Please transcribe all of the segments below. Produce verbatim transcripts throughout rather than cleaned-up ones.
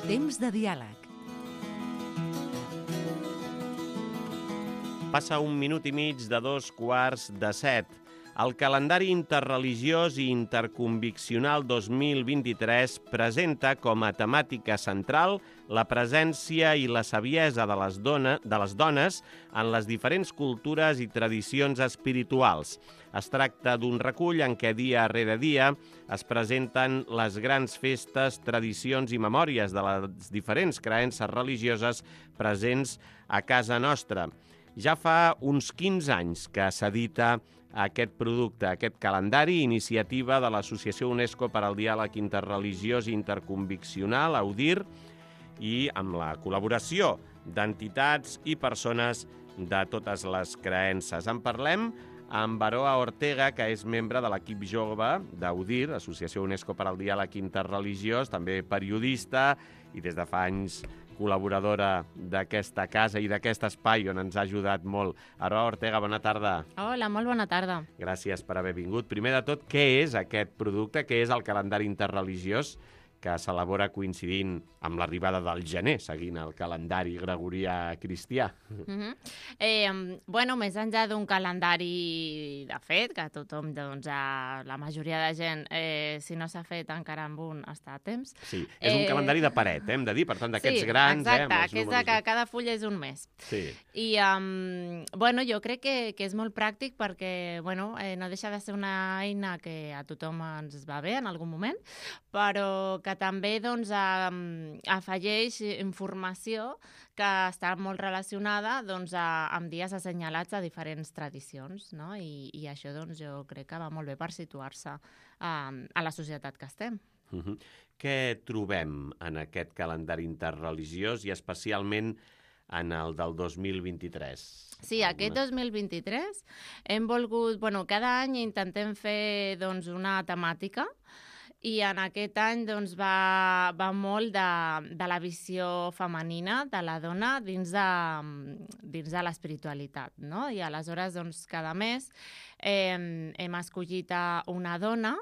Temps de diàleg. Passa un minut i mig de dos quarts de set. El calendari interreligiós i interconviccional dos mil vint-i-tres presenta com a temàtica central la presència i la saviesa de les, dona, de les dones en les diferents cultures i tradicions espirituals. Es tracta d'un recull en què dia rere dia es presenten les grans festes, tradicions i memòries de les diferents creences religioses presents a casa nostra. Ja fa uns quinze anys que s'edita aquest producte, aquest calendari, iniciativa de l'Associació UNESCO per al Diàleg Interreligiós i Interconviccional, AUDIR, i amb la col·laboració d'entitats i persones de totes les creences. En parlem amb Aroa Ortega, que és membre de l'equip jove d'AUDIR, Associació UNESCO per al Diàleg Interreligiós, també periodista i des de fa anys col·laboradora d'aquesta casa i d'aquest espai on ens ha ajudat molt. Aroa Ortega, bona tarda. Hola, molt bona tarda. Gràcies per haver vingut. Primer de tot, què és aquest producte? Què és el calendari interreligiós que s'elabora coincidint amb l'arribada del gener, seguint el calendari gregorià cristià? Uh-huh. eh, bueno, més enllà d'un calendari de fet, que tothom, doncs, a la majoria de gent, eh, si no s'ha fet encara amb un, està a temps. Sí, és un eh... calendari de paret, eh, hem de dir, per tant, d'aquests sí, grans... exacte, eh, amb els que és de que cada full és un mes. Sí. I, um, bueno, jo crec que, que és molt pràctic perquè, bueno, eh, no deixa de ser una eina que a tothom ens va bé en algun moment, però que també, doncs, um, afegeix informació que està molt relacionada, doncs, a, amb dies assenyalats a diferents tradicions, no? I, i això, doncs, jo crec que va molt bé per situar-se um, a la societat que estem. Uh-huh. Què trobem en aquest calendari interreligiós i especialment en el del dos mil vint-i-tres? Sí, aquest dos mil vint-i-tres hem volgut... Bueno, cada any intentem fer, doncs, una temàtica i en aquest any, doncs, va, va molt de, de la visió femenina de la dona dins de, dins de l'espiritualitat, no? I aleshores, doncs, cada mes eh, hem escollit una dona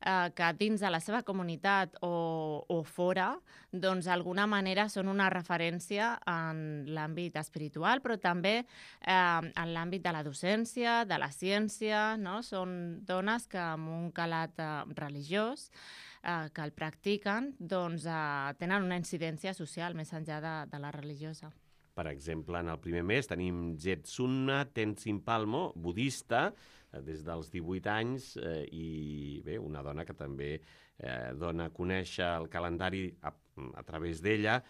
eh, que dins de la seva comunitat o, o fora, doncs, d'alguna manera són una referència en l'àmbit espiritual, però també eh, en l'àmbit de la docència, de la ciència, no? Són dones que amb un calat eh, religiós eh, que el practiquen, doncs, eh, tenen una incidència social més enllà de, de la religiosa. Per exemple, en el primer mes tenim Jetsunna Tenzin Palmo, budista, des dels divuit anys, eh, i bé, una dona que també eh, dona a conèixer el calendari a, a través d'ella,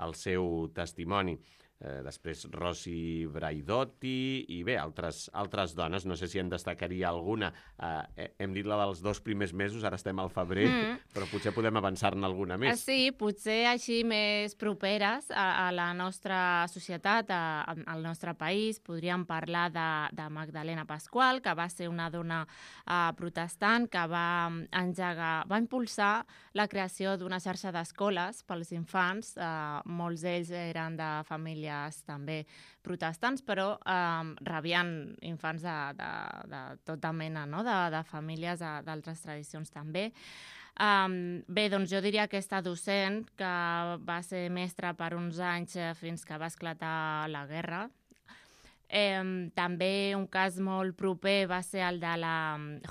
el seu testimoni. Eh, després Rossi Braidotti i bé, altres, altres dones, no sé si en destacaria alguna. Eh, hem dit la dels dos primers mesos, ara estem al febrer, mm. però potser podem avançar-ne alguna més. Sí, potser així més properes a, a la nostra societat, a, a, al nostre país. Podríem parlar de, de Magdalena Pasqual, que va ser una dona uh, protestant que va engegar, va impulsar la creació d'una xarxa d'escoles pels infants. Uh, molts d'ells eren de famílies també protestants, però eh, rebien infants de, de, de tota mena, no? de, de famílies d'altres tradicions també. Um, bé, doncs jo diria aquesta docent, que va ser mestra per uns anys fins que va esclatar la guerra. Eh, també un cas molt proper va ser el de la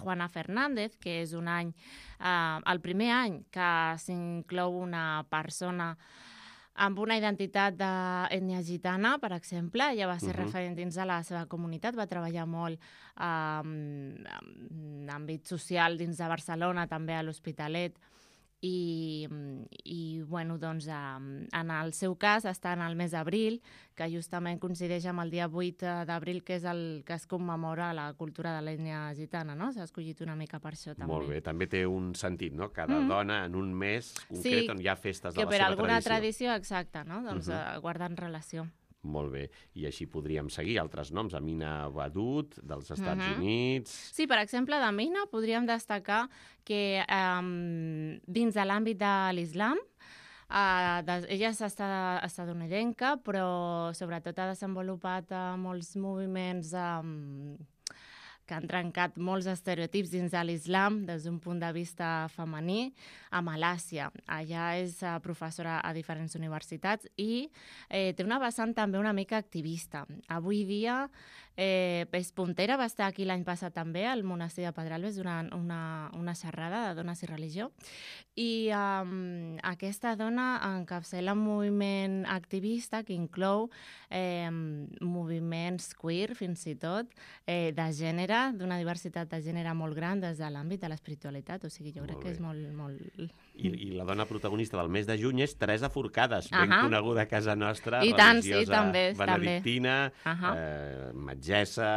Juana Fernández, que és un any, eh, el primer any que s'inclou una persona amb una identitat d'ètnia gitana, per exemple. Ella va ser uh-huh. referent dins de la seva comunitat, va treballar molt eh, en àmbit social dins de Barcelona, també a l'Hospitalet, i, i bueno, doncs, en el seu cas està en el mes d'abril, que justament coincideix amb el dia vuit d'abril, que és el que es commemora la cultura de l'ètnia gitana, no? S'ha escollit una mica per això, també. Molt bé, també té un sentit, no? Cada mm. dona en un mes concret sí, on hi ha festes de la seva tradició. Que per alguna tradició, exacte, no? Doncs uh-huh. guarden relació. Molt bé, i així podríem seguir altres noms, Amina Wadud, dels Estats uh-huh. Units... Sí, per exemple, d'Amina podríem destacar que um, dins de l'àmbit de l'islam, uh, de, ella és estadounidenca, però sobretot ha desenvolupat uh, molts moviments um, que han trencat molts estereotips dins de l'islam des d'un punt de vista femení, a Malàsia. Allà és uh, professora a diferents universitats i eh, té una vessant també una mica activista. Avui dia eh, és puntera, va estar aquí l'any passat també al monestir de Pedralbes durant una, una xerrada de dones i religió. I um, aquesta dona encapçala un moviment activista que inclou eh, moviments queer, fins i tot, eh, de gènere, d'una diversitat de gènere molt gran des de l'àmbit de l'espiritualitat. O sigui, jo Molt crec bé. que és molt... molt... I, I la dona protagonista del mes de juny és Teresa Forcades, ben Ahà. coneguda a casa nostra, I tant, sí, religiosa també, benedictina, Ahà. eh, metgessa,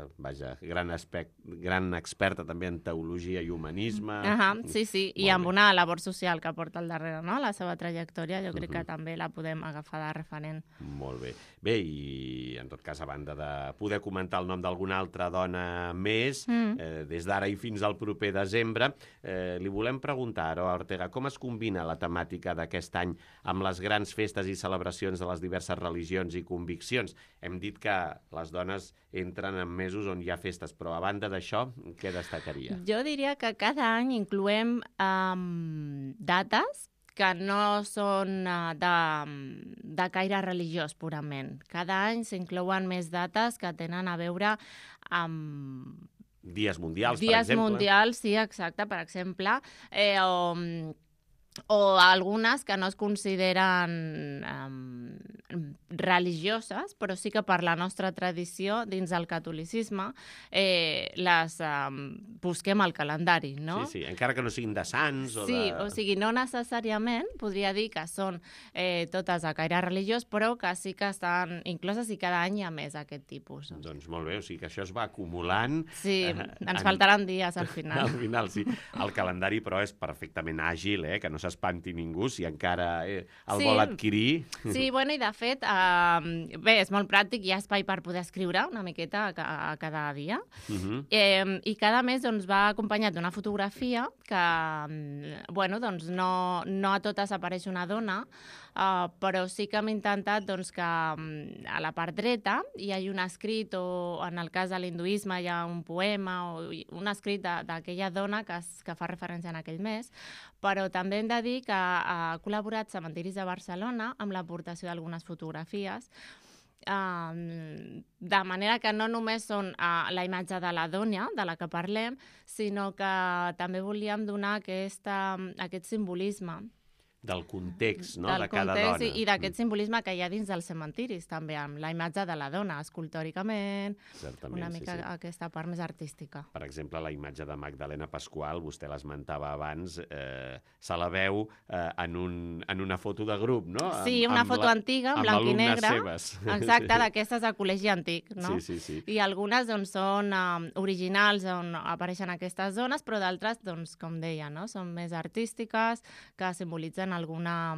eh, vaja, gran, aspect, gran experta també en teologia i humanisme. Ahà, sí, sí, i Molt amb bé. una labor social que porta al darrere, no? La seva trajectòria, jo crec Mhm. que també la podem agafar de referent. Molt bé. Bé, i en tot cas, a banda de poder comentar el nom d'alguna altra dona més, Mm. eh, des d'ara i fins al proper desembre, eh, li volem preguntar, Aroa Ortega, com es combina la temàtica d'aquest any amb les grans festes i celebracions de les diverses religions i conviccions? Hem dit que les dones entren en mesos on hi ha festes, però a banda d'això, què destacaria? Jo diria que cada any incloem um, dates que no són uh, de, de caire religiós purament. Cada any s'inclouen més dates que tenen a veure amb Dies mundials, per dies exemple? mundials, sí, exacte, per exemple, eh, o, o algunes que no es consideren um, religioses, però sí que per la nostra tradició, dins del catolicisme, eh, les um, busquem al calendari, no? Sí, sí, encara que no siguin de sants o Sí, de... o sigui, no necessàriament podria dir que són eh, totes de caire religiós, però que sí que estan incloses i cada any hi ha més aquest tipus. Doncs molt bé, o sigui que això es va acumulant. Sí, eh, ens en- faltaran dies al final. Al final, sí. El calendari, però, és perfectament àgil, eh? Que no s'espanti ningú si encara eh, el Sí. vol adquirir. Sí, bueno, i de fet, eh, bé, és molt pràctic, hi ha espai per poder escriure una miqueta a, ca- a cada dia. Uh -huh. Eh, I cada mes doncs, va acompanyat d'una fotografia que, mm, bueno, doncs no, no a totes apareix una dona, uh, però sí que hem intentat doncs, que mm, a la part dreta hi hagi un escrit, o en el cas de l'hinduisme hi ha un poema, o hi- un escrit de- d'aquella dona que, es, que fa referència en aquell mes, però també hem de dir que ha col·laborat Cementiris de Barcelona amb l'aportació d'algunes fotografies, Um, de manera que no només són uh, la imatge de la dona, de la que parlem, sinó que també volíem donar aquesta, aquest simbolisme Del context, no?, del de cada context dona. i, i d'aquest simbolisme que hi ha dins dels cementiris, també, amb la imatge de la dona, escultòricament, Certament, una sí, mica sí. aquesta part més artística. Per exemple, la imatge de Magdalena Pasqual, vostè l'esmentava abans, eh, se la veu eh, en, un, en una foto de grup, no? Sí, una foto antiga, en amb blanc i alumnes negre. seves. Exacte, d'aquestes de col·legi antic, no? Sí, sí, sí. I algunes doncs, són um, originals on apareixen aquestes zones, però d'altres, doncs, com deia, no? Són més artístiques, que simbolitzen alguna,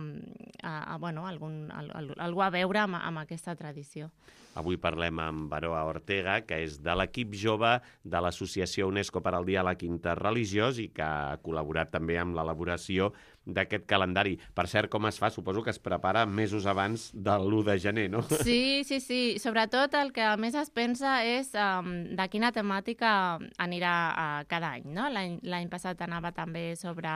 a, a, bueno, algun, al, al, algú a veure amb, amb aquesta tradició. Avui parlem amb Aroa Ortega, que és de l'equip jove de l'Associació UNESCO per al Diàleg Interreligiós i que ha col·laborat també amb l'elaboració d'aquest calendari. Per cert, com es fa? Suposo que es prepara mesos abans de l'u de gener, no? Sí, sí, sí. Sobretot el que més es pensa és um, de quina temàtica anirà uh, cada any, no? L'any l'any passat anava també sobre...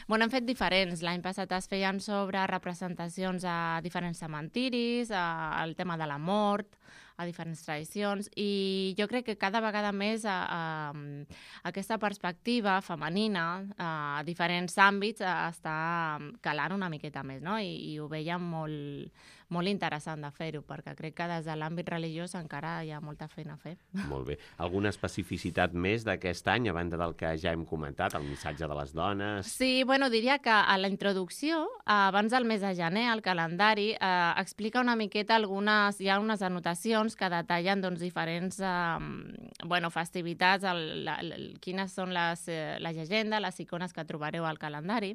Bueno, hem fet diferents. L'any passat es feien sobre representacions a diferents cementiris, a, el tema de la mort, a diferents tradicions, i jo crec que cada vegada més a, a, aquesta perspectiva femenina a diferents àmbits a, està calant una miqueta més, no? I, i ho veiem molt, molt interessant de fer-ho, perquè crec que des de l'àmbit religiós encara hi ha molta feina a fer. Molt bé. Alguna especificitat més d'aquest any, a banda del que ja hem comentat, el missatge de les dones? Sí, bueno, diria que a la introducció, abans del mes de gener, el calendari eh, explica una miqueta algunes, hi ha unes anotacions que detallen doncs, diferents eh, bueno, festivitats, el, la, el, quines són les, eh, la llegenda, les icones que trobareu al calendari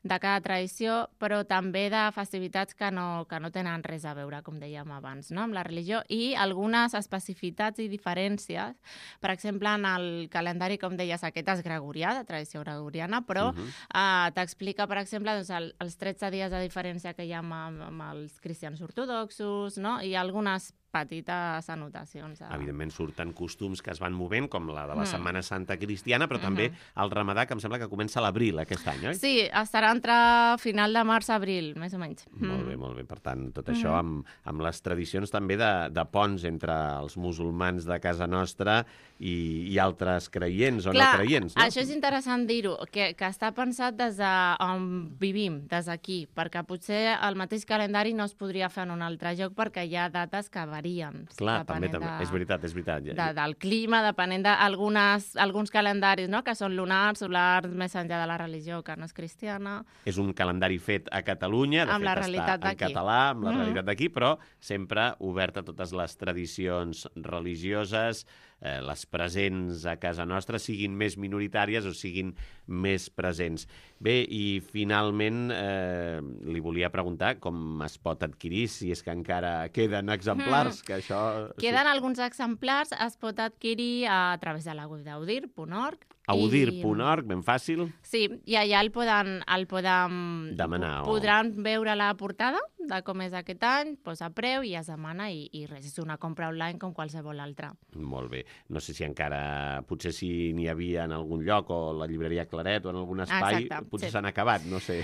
de cada tradició, però també de festivitats que no, que no tenen res a veure, com dèiem abans, no? Amb la religió, i algunes especificitats i diferències. Per exemple, en el calendari, com deies, aquest és gregorià, de tradició gregoriana, però uh-huh. eh, t'explica, per exemple, doncs, el, els tretze dies de diferència que hi ha amb, amb els cristians ortodoxos, no? I algunes petites anotacions. De... Evidentment surten costums que es van movent, com la de la Mm. Setmana Santa Cristiana, però també el Ramadà, que em sembla que comença a l'abril aquest any, oi? Sí, estarà entre final de març-abril, més o menys. Molt bé, molt bé. Per tant, tot això amb, amb les tradicions també de, de ponts entre els musulmans de casa nostra i, i altres creients o Clar, no creients, no? Això és interessant dir-ho, que, que està pensat des d'on vivim, des d'aquí, perquè potser el mateix calendari no es podria fer en un altre lloc perquè hi ha dates que varien. Clar, també, depenent també. de- És veritat, és veritat. De, del clima, depenent d'alguns calendaris, no?, que són lunars, solars, més enllà de la religió, que no és cristiana. És un calendari fet a Catalunya, de Amb la fet realitat està en d'aquí. català, amb la Mhm. realitat d'aquí, però sempre obert a totes les tradicions religioses, eh, les presents a casa nostra, siguin més minoritàries o siguin més presents. Bé, i finalment eh, li volia preguntar com es pot adquirir, si és que encara queden exemplars, que això... Queden alguns exemplars, es pot adquirir a través de la web d'audir punt org. Audir punt org, ben fàcil. Sí, i allà el poden, el poden Demanar, o- podran veure la portada de com és aquest any, posa preu i es demana i, i res, és una compra online com qualsevol altra. Molt bé. No sé si encara, potser si n'hi havia en algun lloc, o la llibreria Claret, o en algun espai, Exacte, potser sí. s'han acabat, no sé.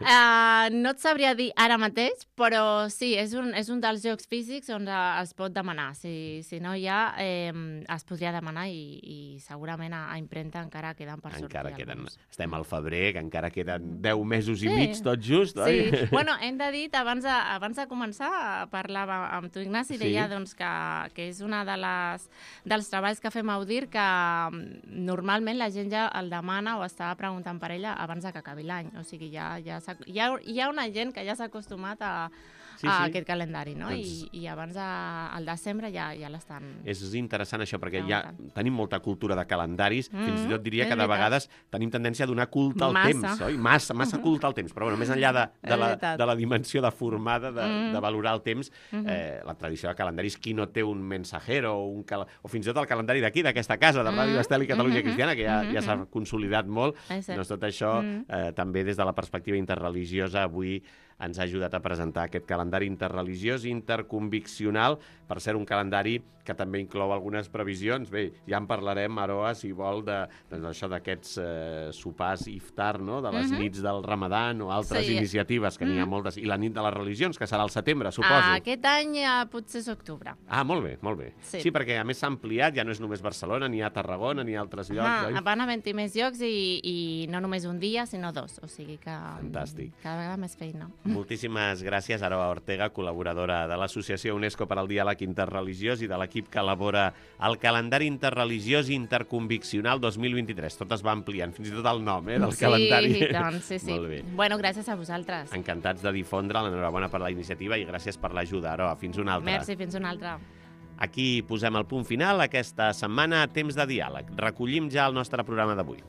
Uh, no et sabria dir ara mateix, però sí, és un, és un dels jocs físics on uh, es pot demanar. Si, si no hi ha, eh, es podria demanar i, i segurament a, a impremta encara queden per sortir Encara queden... alguns. Estem al febrer, que encara queden deu mesos i Sí. mig, tot just, oi? Sí, bueno, hem de dir, abans de, abans de començar, parlava amb tu, Ignasi, Sí. deia doncs, que, que és una de les, dels treballs que fem a Audir que mm, normalment la gent ja el demana o estava preguntant per ella abans de que acabi l'any. O sigui, ja, ja s'ha- hi, ha, hi ha una gent que ja s'ha acostumat a, Sí, a sí. aquest calendari, no? Doncs- I, I abans de, al desembre ja, ja l'estan... És interessant això, perquè ja Preguntant. tenim molta cultura de calendaris, Mm, fins i tot diria és que de veritat. vegades tenim tendència a donar culte al Massa. temps, oi? Massa, massa culte al temps. Però bueno, més enllà de, de, És la, veritat. de la dimensió de formada, de, Mm. de valorar el temps, eh, la tradició de calendaris, qui no té un mensajero o, un cal... o fins i tot el calendari d'aquí, d'aquesta casa, de Ràdio Mm. Estel i Catalunya Mhm. Cristiana, que ja, ja s'ha Mhm. consolidat molt. És cert. Doncs tot això, Mm. eh, també des de la perspectiva interreligiosa, avui ens ha ajudat a presentar aquest calendari interreligiós i interconviccional, per ser un calendari que també inclou algunes previsions. Bé, ja en parlarem, Aroa, si vol, de, doncs això d'aquests eh, sopars iftar, no?, de les Mhm. nits del Ramadan o altres Sí. iniciatives, que n'hi ha Mhm. moltes, i la nit de les religions, que serà al setembre, suposo. Ah, aquest any ja potser és octubre. Ah, molt bé, molt bé. Sí. sí, perquè a més s'ha ampliat, ja no és només Barcelona, n'hi ha Tarragona, n'hi ha altres llocs, Ah, oi? van havent-hi més llocs i, i no només un dia, sinó dos. O sigui que Fantàstic. cada vegada més feina. Moltíssimes gràcies, Aroa Ortega, col·laboradora de l'Associació UNESCO per al Diàleg Interreligiós i de l'equip que elabora el calendari interreligiós i interconviccional dos mil vint-i-tres. Tot es va ampliant, fins i tot el nom, eh, del sí, calendari. doncs, sí, sí. Molt bé. Bueno, gràcies a vosaltres. Encantats de difondre, l'enhorabona per la iniciativa i gràcies per l'ajuda, Aroa. Fins una altra. Merci, fins una altra. Aquí posem el punt final aquesta setmana a Temps de Diàleg. Recollim ja el nostre programa d'avui.